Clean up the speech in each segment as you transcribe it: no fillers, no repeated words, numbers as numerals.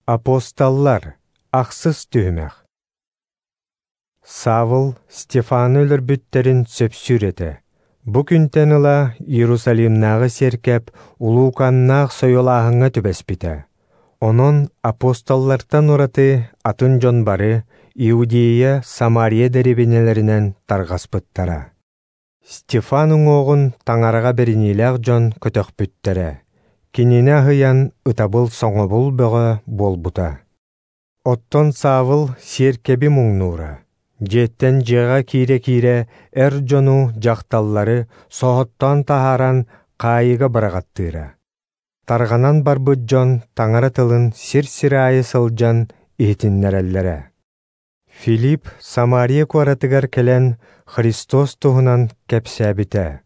Апостоллар, ахсыс түһүмэх. Савл Стефаны өлөрбүттэрин сөпсүүр этэ. Бу күнтэн ыла Иерусалимнааҕы сиэркэп улууканнаах сойуолааһыҥҥа түбэспитэ. Онон апостоллартан ураты атын дьон бары Иудея, Самария дэриэбинэлэринэн тарҕаспыттара. Стефан уҥуоҕун таҥараҕа бэриниилээх дьон көтөхпүттэрэ. Кинини аһыйан ытабыл-соҥобул бөҕө буолбута. Оттон Савл сиэркэби муҥнуура. Дьиэттэн дьиэҕэ киирэ-киирэ эр дьону, дьахталлары соһоттоон таһааран хаайыыга быраҕаттыыра. Тарҕанан барбыт дьон таҥара тылын сир-сир аайы сылдьан иһитиннэрэллэрэ. Филипп Самария куоратыгар кэлэн Христос туһунан кэпсээбитэ.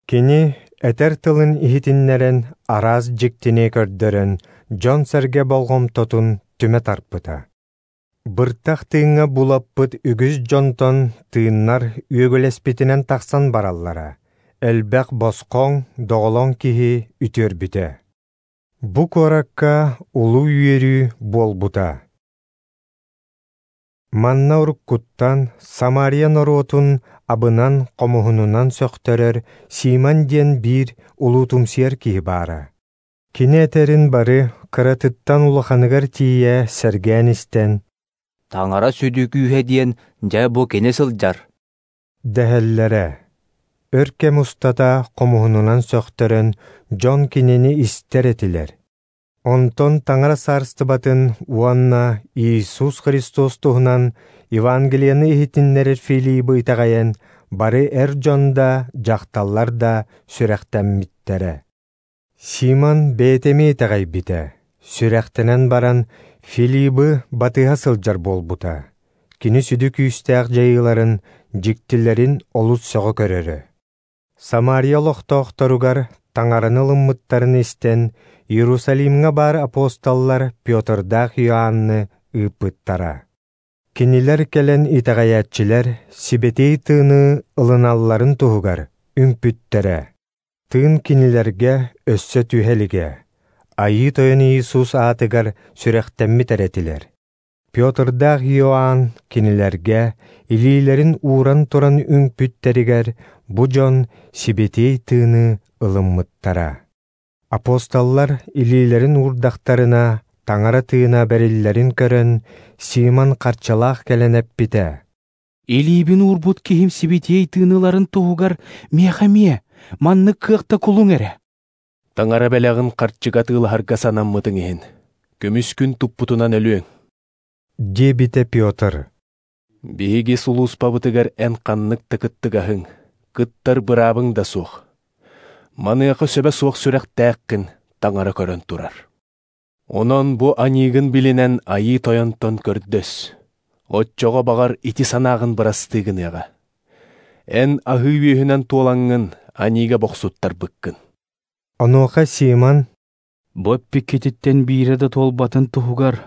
Кини этэр тылын иһитиннэрэн, араас дьиктини көрдөрөн, дьон-сэргэ болҕомтотун түмэ тарпыта. Быртах тыыҥҥа булаппыт үгүс дьонтон тыыннар үөгүлэспитинэн тахсан бараллара. Элбэх босхоҥ, доҕолоҥ киһи үтүөрбүтэ. Бу куоракка улуу үөрүү буолбута. Манна уруккуттан Самария норуотун абынан хомуһунунан сөхтөрөр Симон диэн биир улуутумсуйар киһи баара. Кини этэрин бары кыратыттан улаханыгар тиийэ сэргээн истэн «Таҥара сүдү күүһэ диэн дьэ бу кини сылдьар» дэһэллэрэ. Өр кэм устата хомуһунунан сөхтөрөн дьон кинини истэр этилэр. Онтон Таҥара саарыстыбатын уонна Иисус Христос туһунан Евангелиены иһитиннэрэр Филибы итэҕэйэн, бары эр дьон да, дьахталлар да сүрэхтэммиттэрэ. Симон бэйэтэ эмиэ итэҕэйбитэ, сүрэхтэнэн баран Филибы батыһа сылдьар буолбута. Кини сүдү күүстээх дьайыыларын, дьиктилэрин олус сөҕө көрөрө. Самария олохтоохторугар Таҥараны ылыммыттарын истэн, Иерусалимҥа баар апостоллар Петрдаах Иоанны ыыппыттара. Кинилэр кэлэн итэҕэйээччилэр Сибэтиэй Тыыны ылыналларын туһугар үҥпүттэрэ. Тыын кинилэргэ өссө түһэ илигэ. Айыы Тойон Иисус аатыгар сүрэхтэммит эрэ этилэр. Петрдаах Иоанн кинилэргэ илиилэрин ууран туран үҥпүттэригэр бу дьон Сибэтиэй Тыыны ылыммыттара. Апостоллар илиилэрин уурдахтарына, Таҥара тыына бэриллэрин көрөн, Симон харчылаах кэлэн эппитэ: «Илиибин уурбут киһим Сибэтиэй Тыыны ыларын туһугар миэхэ эмиэ маннык кыахта кулуҥ эрэ». Таҥара бэлэҕин харчыга атыылаһарга санаммытыҥ иһин, көмүскүн туппутунан өлүөҥ диэбитэ Петр. Биһиги сулууспабытыгар эн ханнык да кыттыгаһыҥ, кыттар быраабыҥ да суох. Маныаха сөбө суох сүрэхтээххин Таҥара көрөн турар. Онон бу аньыыгын билинэн Айыы Тойонтон көрдөс. Оччоҕо баҕар ити санааҕын бырастыы гыныаҕа. Эн аһыы үөһүнэн туолаҥҥын аньыыга бохсуттарбыккын. Онуоха Симон «Бу эппиккититтэн биирэ да туолбатын туһугар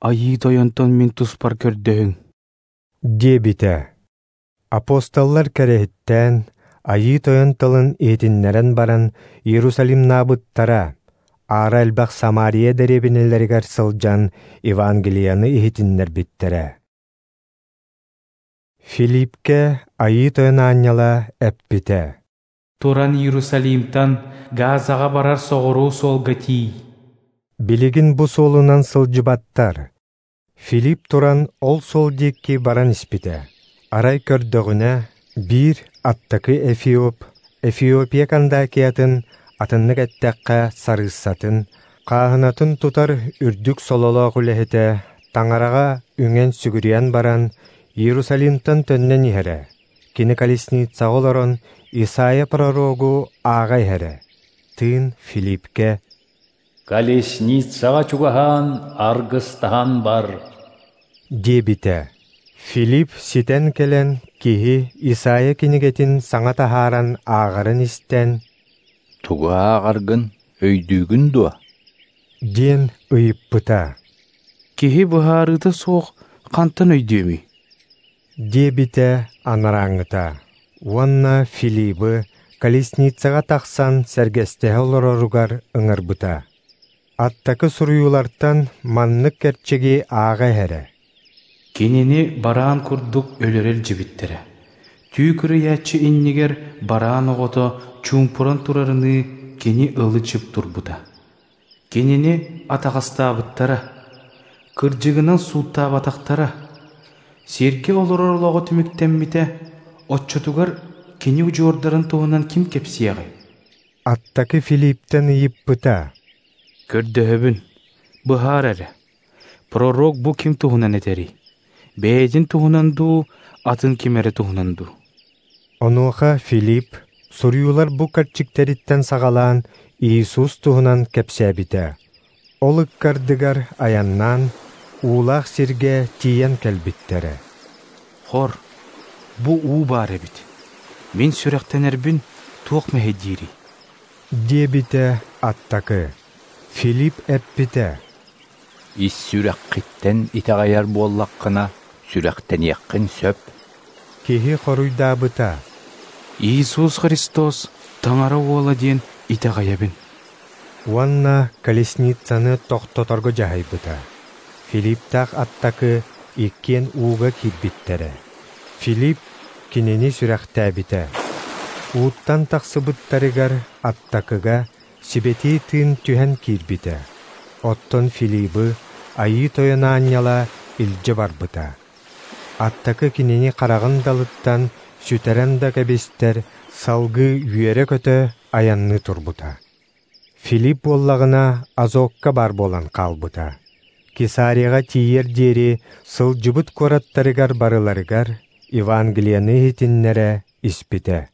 Айыы Тойонтон мин туспар көрдөһүҥ» диэбитэ. Апостоллар кэрэһиттээн, Айыы Тойон тылын иһитиннэрэн баран Иерусалимнаабыттара, аара элбэх Самария дэриэбинэлэригэр сылдьан Евангелиены иһитиннэрбиттэрэ. Филиппкэ Айыы Тойон аанньала эппитэ: «Туран Иерусалимтан Газаҕа барар соҕуруу суолга тиий». Билигин бу суолунан сылдьыбаттар. Филипп туран ол суол диэки баран испитэ. Арай көрдөҕүнэ, биир аттакы Эфиоп, Эфиопия Кандакиятын, атыннык эттэххэ сарыыссатын, хааһынатын тутар үрдүк сололоох үлэһитэ Таҥараҕа үҥэн сүгүрүйэн баран, Иерусалимтан төннөн иһэрэ. Кини колесницаҕа олорон Исайя пророгу ааҕа иһэрэ. Тыын Филиппкэ «Колесницаҕа чугаһаан, аргыстаһан бар» диэбитэ. Филипп ситэн кэлэн киһи Исайя кинигэтин саҥа таһааран ааҕарын истэн «Тугу ааҕаргын өйдүүгүн дуо?» диэн ыйыппыта. «Киһи быһаарыыта суох хантан өйдүөмүй?» диэбитэ анарааҥҥыта. Уонна Филибы колесницаҕа тахсан сэргэстэһэ олороругар ыҥырбыта. Аттакы суруйуулартан маннык кэрчиги ааҕа иһэрэ: Кинини бараан курдук өлөрө илдьибиттэрэ, түү кырыйааччы иннигэр бараан оҕото чуумпуран турарыныы кини ылы-чып турбута. Кинини атаҕастаабыттара, кырдьыгынан сууттаабатахтара. Сиргэ олорор олоҕо түмүктэммитэ, оччотугар кини удьуордарын туһунан ким кэпсиэҕэй? Аттакы Филипптэн ыйыппыта: Көрдөһөбүн, быһаар эрэ, пророк бу ким туһунан этэрий? Бэйэтин туһунан дуу, атын ким эрэ туһунан дуу? Онуоха Филипп суруйуулар бу кэрчиктэриттэн саҕалаан Иисус туһунан кэпсээбитэ. Ол ыккардыгар айаннаан, уулаах сиргэ тиийэн кэлбиттэрэ. Хор, бу уу баар эбит. Мин сүрэхтэнэрбин туох мэһэйдиирий? Диэбитэ аттакы. Филипп эппитэ: Ис сүрэххиттэн итэҕэйэр буоллаххына, сүрэхтэниэххин сөп. Киһи хоруйдаабыта: Иисус Христос Таҥара Уола диэн итэҕэйэбин. Уонна колесницаны тохтоторго дьаһайбыта. Филипптаах аттакы иккиэн ууга киирбиттэрэ. Филипп кинини сүрэхтээбитэ. Ууттан тахсыбыттарыгар аттакыга Сибэтиэй Тыын түһэн киирбитэ. Оттон Филибы Айыы Тойон аанньала илдьэ барбыта. Аттакы кинини хараҕын далыттан сүтэрэн да кэбистэр, салгыы үөрэ-көтө айанныы турбута. Филипп буоллаҕына Азокка баар буолан хаалбыта. Кесарияҕа тиийэр диэри сылдьыбыт куораттарыгар барыларыгар Евангелиены иһитиннэрэ испитэ.